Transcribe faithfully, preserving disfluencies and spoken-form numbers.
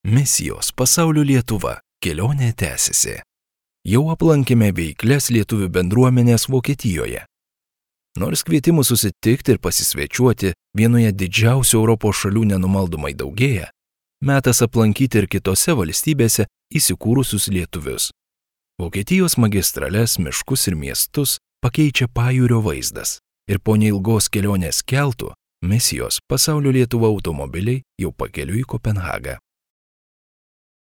Misijos pasaulio Lietuva kelionė tęsiasi. Jau aplankėme veiklės lietuvių bendruomenės Vokietijoje. Nors kvietimų susitikti ir pasisvečiuoti vienoje didžiausių Europos šalių nenumaldomai daugėja, metas aplankyti ir kitose valstybėse įsikūrusius lietuvius. Vokietijos magistrales, miškus ir miestus pakeičia pajūrio vaizdas ir po neilgos kelionės keltu Misijos pasaulio Lietuva automobiliai jau pakeliui į Kopenhagą.